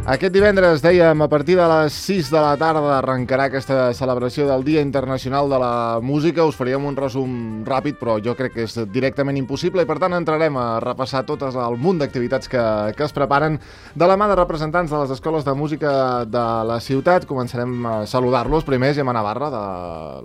Aquest divendres, dèiem, a partir de les 6 de la tarda arrencarà aquesta celebració del Dia Internacional de la Música. Us faríem un resum ràpid, però jo crec que és directament impossible i per tant entrarem a repassar totes el munt d'activitats que es preparen de la mà de representants de les escoles de música de la ciutat. Començarem a saludar-los. Primer, Gemma Navarra, de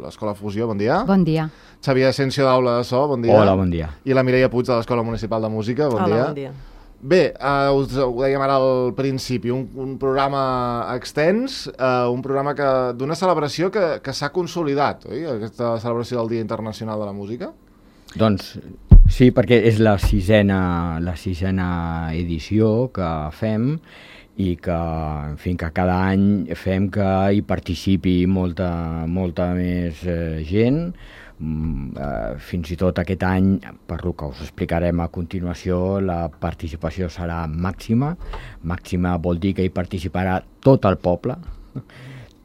l'Escola Fusió. Bon dia. Bon dia. Xavier Asensio, d'Aula de So. Bon dia. Hola, bon dia. I la Mireia Puig, de l'Escola Municipal de Música. Bon dia. Hola, bon dia. Bé, us ho dèiem ara al principi, un programa extens, un programa d'una celebració que s'ha consolidat, oi? Aquesta celebració del Dia Internacional de la Música? Doncs sí, perquè és la sisena edició que fem i que, en fi, que cada any fem que hi participi molta més gent. Fins i tot aquest any, per el que us explicarem a continuació, la participació serà màxima. Màxima vol dir que hi participarà tot el poble.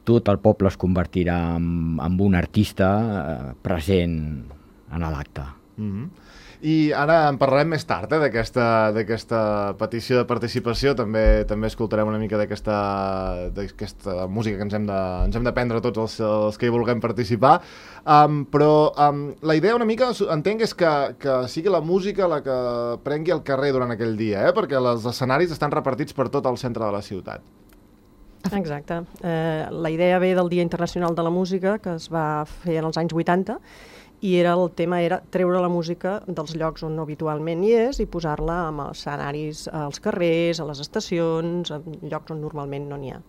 Tot el poble es convertirà en un artista present en l'acte. I ara en parlarem més tard, d'aquesta petició de participació. També escoltarem una mica d'aquesta música que ens hem de prendre tots els que hi vulguem participar. Però la idea una mica, entenc, és que sigui la música la que prengui el carrer durant aquell dia, perquè els escenaris estan repartits per tot el centre de la ciutat. Exacte. La idea ve del Dia Internacional de la Música, que es va fer en els anys 80, i el tema era treure la música dels llocs on no habitualment hi és i posar-la en escenaris als carrers, a les estacions, en llocs on normalment no n'hi ha.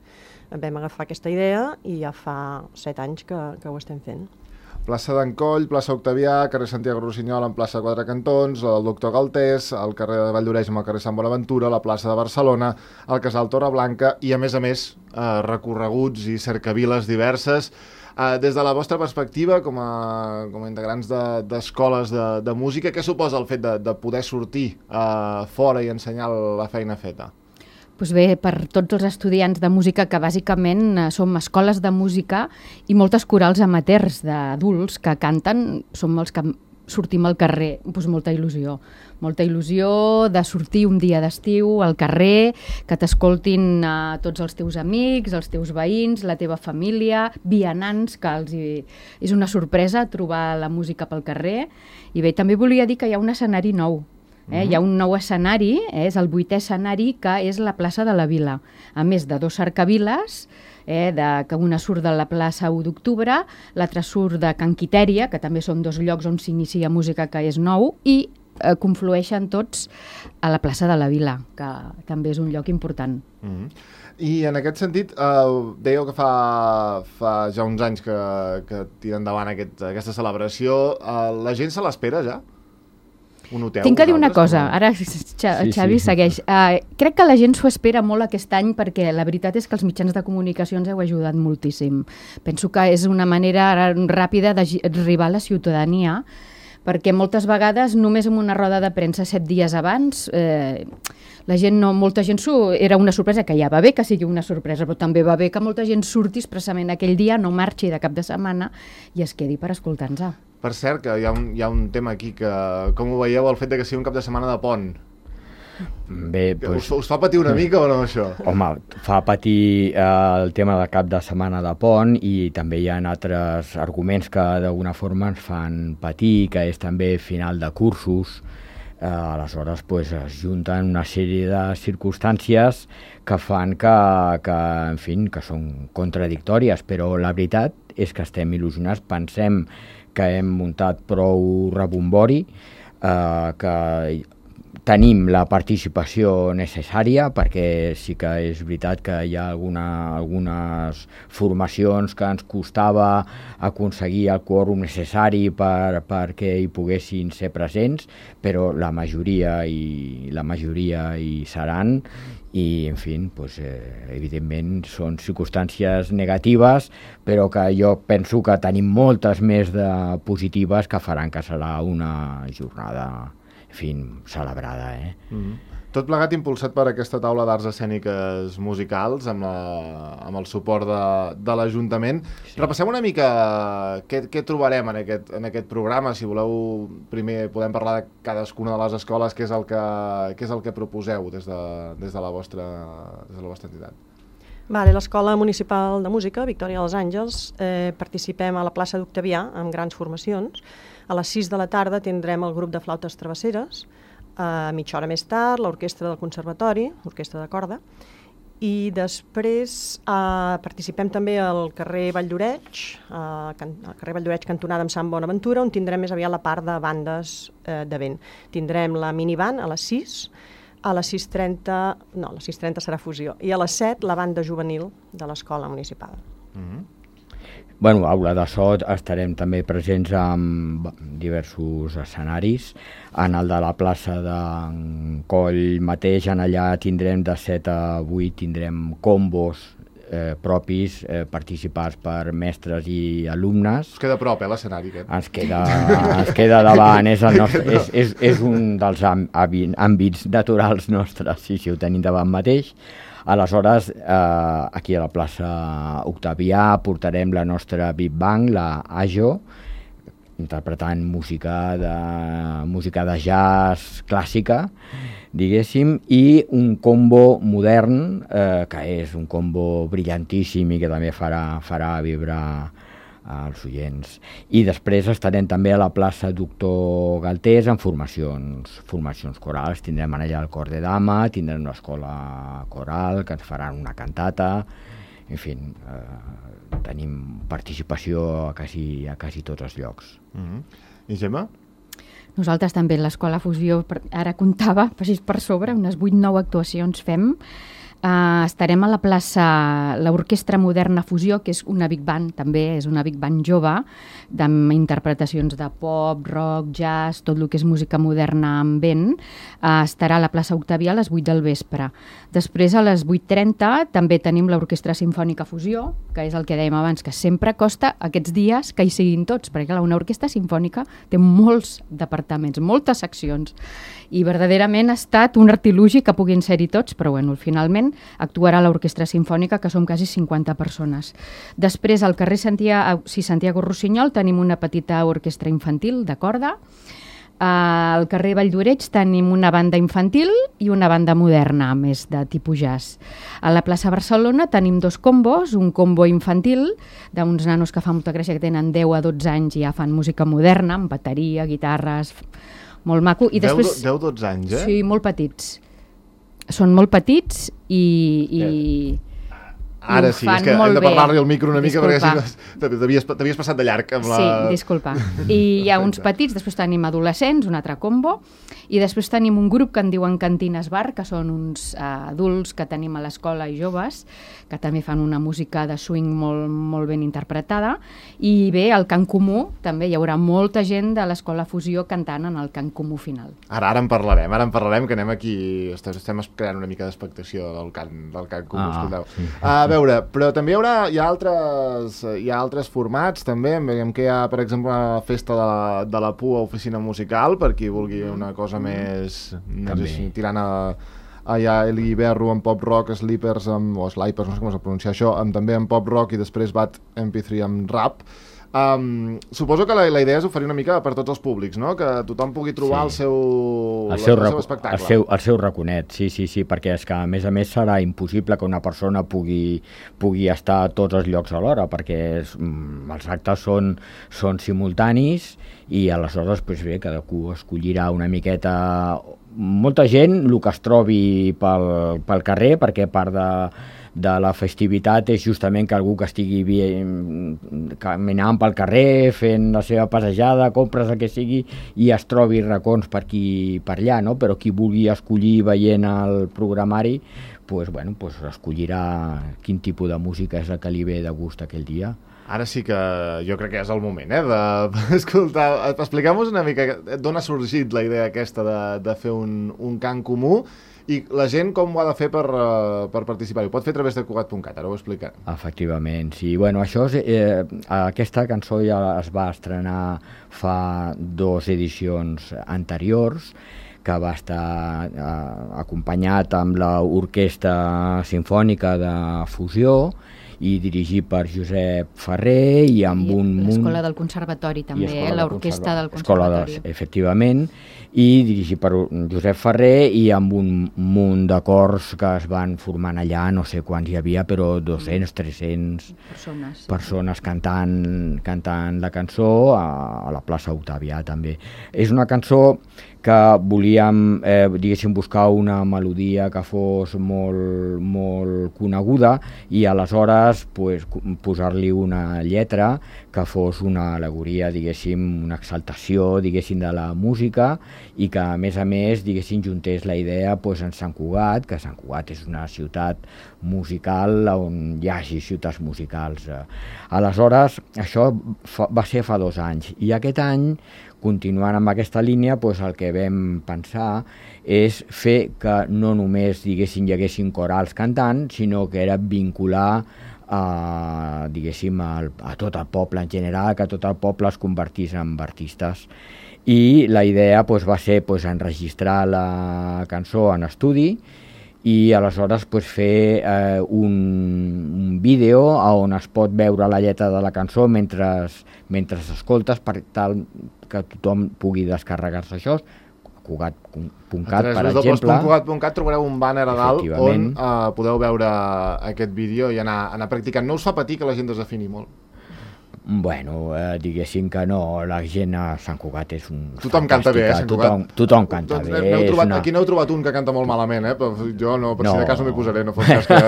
Vam agafar aquesta idea i ja fa 7 anys que ho estem fent. Plaça d'Encoll, plaça Octavià, carrer Santiago Rossinyol amb plaça Quatre Cantons, el Doctor Galtés, el carrer de Valldoreix amb el carrer Sant Bonaventura, la plaça de Barcelona, el casal Torreblanca i, a més, recorreguts i cercaviles diverses. Des de la vostra perspectiva, com a integrants d'escoles de música, què suposa el fet de poder sortir fora i ensenyar la feina feta? Doncs bé, per tots els estudiants de música, que bàsicament som escoles de música i moltes corals amateurs d'adults que canten, som els que sortim al carrer, doncs molta il·lusió de sortir un dia d'estiu al carrer, que t'escoltin tots els teus amics, els teus veïns, la teva família, vianants, que és una sorpresa trobar la música pel carrer. I bé, també volia dir que hi ha un escenari nou. Hi ha un nou escenari, és el 8è escenari, que és la plaça de la Vila. A més de 2 cercaviles, que una surt de la plaça 1 d'octubre, l'altra surt de Can Quitèria, que també són 2 llocs on s'inicia música, que és nou, i conflueixen tots a la plaça de la Vila, que també és un lloc important. I en aquest sentit, dèieu que fa ja uns anys que tira endavant aquesta celebració. La gent se l'espera ja? Tinc que dir una cosa, ara Xavi segueix. Crec que la gent s'ho espera molt aquest any perquè la veritat és que els mitjans de comunicació ens heu ajudat moltíssim. Penso que és una manera ràpida d'arribar a la ciutadania, perquè moltes vegades només amb una roda de premsa 7 dies abans molta gent era una sorpresa, que ja va bé que sigui una sorpresa, però també va bé que molta gent surti expressament aquell dia, no marxi de cap de setmana i es quedi per escoltar-nos. Per cert, que hi ha un tema aquí que, com ho veieu, el fet que sigui un cap de setmana de pont? Bé, us fa patir una mica o no, això? Home, fa patir el tema del cap de setmana de pont i també hi ha altres arguments que d'alguna forma ens fan patir, que és també final de cursos. Aleshores es junten una sèrie de circumstàncies que fan que són contradictòries, però la veritat és que estem il·lusionats, pensem que hem muntat prou rebombori, que tenim la participació necessària, perquè sí que és veritat que hi ha algunes formacions que ens costava aconseguir el quòrum necessari perquè hi poguessin ser presents, però la majoria hi seran i, en fi, evidentment són circumstàncies negatives, però que jo penso que tenim moltes més de positives que faran que serà una jornada, en fi, celebrada. Tot plegat impulsat per aquesta taula d'arts escèniques musicals amb el suport de l'Ajuntament. Sí. Repassem una mica què trobarem en aquest programa. Si voleu, primer podem parlar de cadascuna de les escoles, què és el que proposeu des de la vostra entitat. Vale, l'Escola Municipal de Música, Victòria dels Àngels, participem a la plaça d'Octavià amb grans formacions. A les 6 de la tarda tindrem el grup de flautes travesseres, a mitja hora més tard l'orquestra del Conservatori, l'orquestra de corda, i després participem també al carrer Valldoreix, al carrer Valldoreix cantonada amb Sant Bonaventura, on tindrem més aviat la part de bandes de vent. Tindrem la miniband a les 6, a les 6:30, no, a les 6:30 serà fusió, i a les 7 la banda juvenil de l'Escola Municipal. Bueno, aula de so estarem també presents en diversos escenaris. En el de la plaça d'en Coll mateix, en allà tindrem de 7 a 8, tindrem combos propis participats per mestres i alumnes. Us queda a prop, l'escenari aquest? Ens queda davant, és un dels àmbits naturals nostres, sí, ho tenim davant mateix. Aleshores, aquí a la plaça Octavià portarem la nostra Big Bang, la Ajo, interpretant música de jazz clàssica, diguéssim, i un combo modern, que és un combo brillantíssim i que també farà vibrar als oients. I després estarem també a la plaça Doctor Galtés amb formacions corals. Tindrem allà el cor de dama, tindrem una escola coral que ens faran una cantata, en fi, tenim participació a quasi tots els llocs. I Gemma? Nosaltres també l'Escola Fusió, ara comptava, per sobre, unes 8-9 actuacions fem. Estarem a la plaça l'Orquestra Moderna Fusió, que és una big band, també és una big band jove, amb interpretacions de pop, rock, jazz, tot el que és música moderna amb vent. Estarà a la plaça Octavià a les 8 del vespre. Després, a les 8:30, també tenim l'Orquestra Simfònica Fusió, que és el que dèiem abans, que sempre costa aquests dies que hi siguin tots, perquè una orquestra simfònica té molts departaments, moltes seccions, i verdaderament ha estat un artilugi que puguin ser-hi tots, però bueno, finalment actuarà l'Orquestra Simfònica, que som quasi 50 persones. Després, al carrer Santiago Rossinyol tenim una petita orquestra infantil de corda. Al carrer Valldoreix tenim una banda infantil i una banda moderna, més de tipus jazz. A la plaça Barcelona tenim 2 combos, un combo infantil d'uns nanos que fa molta gràcia, que tenen 10 a 12 anys i ja fan música moderna, amb bateria, guitarres, molt maco. I després 10-12 anys, eh? Sí, molt petits. Són molt petits i ara sí, és que hem de parlar-li al micro una mica, disculpa. Perquè t'havies passat de llarg amb la... Sí, disculpa. I hi ha uns petits, després tenim adolescents, un altre combo, i després tenim un grup que en diuen Cantines Bar, que són uns adults que tenim a l'escola i joves, que també fan una música de swing molt ben interpretada, i bé, al Cant Comú també hi haurà molta gent de l'Escola Fusió cantant en el Cant Comú final. Ara en parlarem, que anem aquí, estem creant una mica d'expectació del Cant Comú, escolteu. Sí. A veure, però també hi ha altres formats, també, veiem que hi ha, per exemple, una festa de la PUA, oficina musical, per qui vulgui una cosa més tirant a Eli Berro amb pop rock, Sleepers o Slipers, no sé com es pronuncia això, també amb pop rock i després Bad MP3 amb rap. Suposo que la idea és oferir una mica per tots els públics, no? Que tothom pugui trobar el seu espectacle. El seu raconet, sí, perquè és que a més serà impossible que una persona pugui estar a tots els llocs alhora, perquè els actes són simultanis i aleshores cadascú escollirà una miqueta. Molta gent el que es trobi pel carrer, perquè part de la festivitat és justament que algú que estigui caminant pel carrer, fent la seva passejada, compres el que sigui, i es trobi racons per aquí per allà, no? Però qui vulgui escollir veient el programari, escollirà quin tipus de música és la que li ve de gust aquell dia. Ara sí que jo crec que és el moment, d'escoltar. Expliquem-nos una mica d'on ha sorgit la idea aquesta de fer un cant comú i la gent com ho ha de fer per participar. Ho pot fer a través de Cugat.cat, ara ho explicarem. Efectivament, sí. Aquesta cançó ja es va estrenar fa 2 edicions anteriors, que va estar acompanyat amb l'Orquestra Simfònica de Fusió i dirigit per Josep Ferrer i amb un munt... L'Escola del Conservatori també, l'Orquestra del Conservatori. Efectivament, i dirigit per Josep Ferrer i amb un munt de cors que es van formant allà, no sé quants hi havia, però 200, 300 persones cantant la cançó a la plaça Octavià també. És una cançó que volíem, diguéssim, buscar una melodia que fos molt coneguda i aleshores posar-li una lletra que fos una al·legoria, diguéssim, una exaltació, diguéssim, de la música i que, a més, diguéssim, juntés la idea en Sant Cugat, que Sant Cugat és una ciutat musical on hi hagi ciutats musicals. Aleshores, això va ser fa 2 anys i aquest any, continuant amb aquesta línia, el que vam pensar és fer que no només, diguéssim, hi haguessin corals cantant, sinó que era vincular diguéssim, a tot el poble en general, que tot el poble es convertís en artistes. I la idea va ser enregistrar la cançó en estudi i aleshores fer un vídeo on es pot veure la lletra de la cançó mentre s'escoltes, per tal que tothom pugui descarregar-se això. Cugat.cat, per exemple. A Cugat.cat trobareu un banner a dalt on podeu veure aquest vídeo i anar practicant. No us fa patir que la gent desafini molt? Bueno, diguéssim que no, la gent a Sant Cugat és un... Tothom canta bé, Sant Cugat? Tothom canta bé. Aquí n'heu trobat un que canta molt malament, però jo no, per si de cas no m'hi posaré, no fos cas que...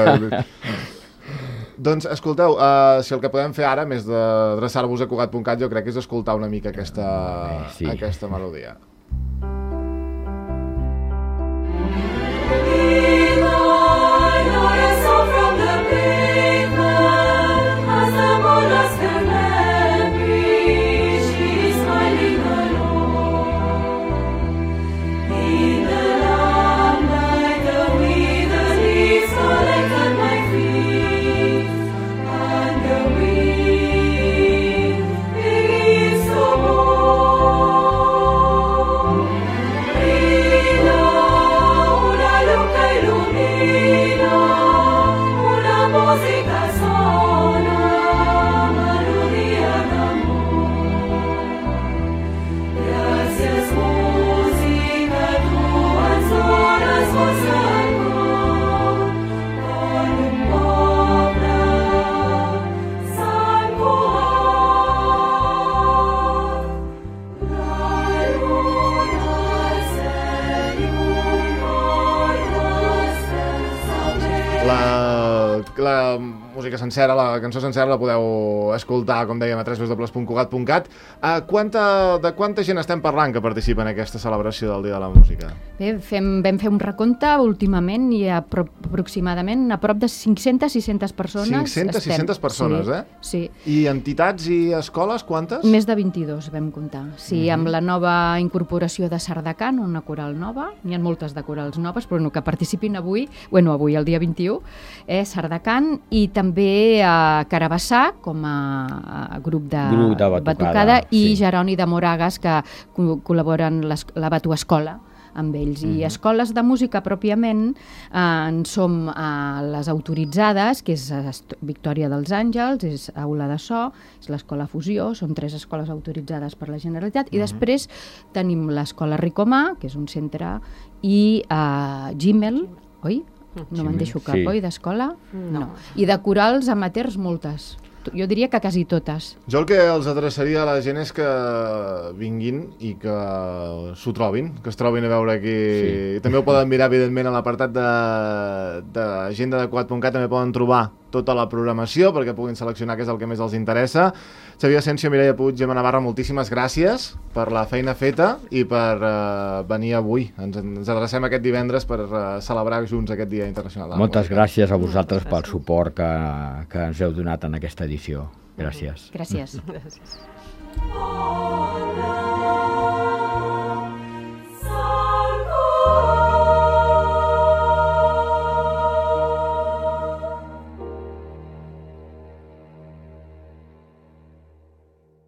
Doncs, escolteu, si el que podem fer ara, més d'adreçar-vos a Cugat.cat, jo crec que és escoltar una mica aquesta melodia. La música sencera, la cançó sencera la podeu escoltar, com dèiem, a www.cugat.cat. De quanta gent estem parlant que participa en aquesta celebració del Dia de la Música? Bé, vam fer un recompte últimament i aproximadament a prop de 500-600 persones. 500-600 persones, Sí. I entitats i escoles, quantes? Més de 22 vam comptar. Sí, amb la nova incorporació de Sardacan, una coral nova, n'hi ha moltes de corals noves, però que participin avui, el dia 21, Sardacan, i també a Carabassà, com a grup de batucada, i Jeroni de Moragas, que col·laboren la Batuescola amb ells. I escoles de música, pròpiament, en som les autoritzades, que és Victòria dels Àngels, és Aula de So, és l'Escola Fusió, són 3 escoles autoritzades per la Generalitat, i després tenim l'Escola Ricomà, que és un centre, i Gimel, oi? No me'n deixo cap, oi, d'escola? No. I de corals amateurs, moltes. Jo diria que quasi totes. Jo el que els adreçaria a la gent és que vinguin i que s'ho trobin, que es trobin a veure aquí. Sí. També ho poden mirar, evidentment, a l'apartat d'agenda de Cugat.cat, també poden trobar tota la programació perquè puguin seleccionar què és el que més els interessa. Xavier Asensio, Mireia Puig, Gemma Navarra, moltíssimes gràcies per la feina feta i per venir avui. Ens adrecem aquest divendres per celebrar junts aquest Dia Internacional de la Música. Moltes gràcies a vosaltres pel suport que ens heu donat en aquesta edició. Gràcies. Gràcies. Gràcies.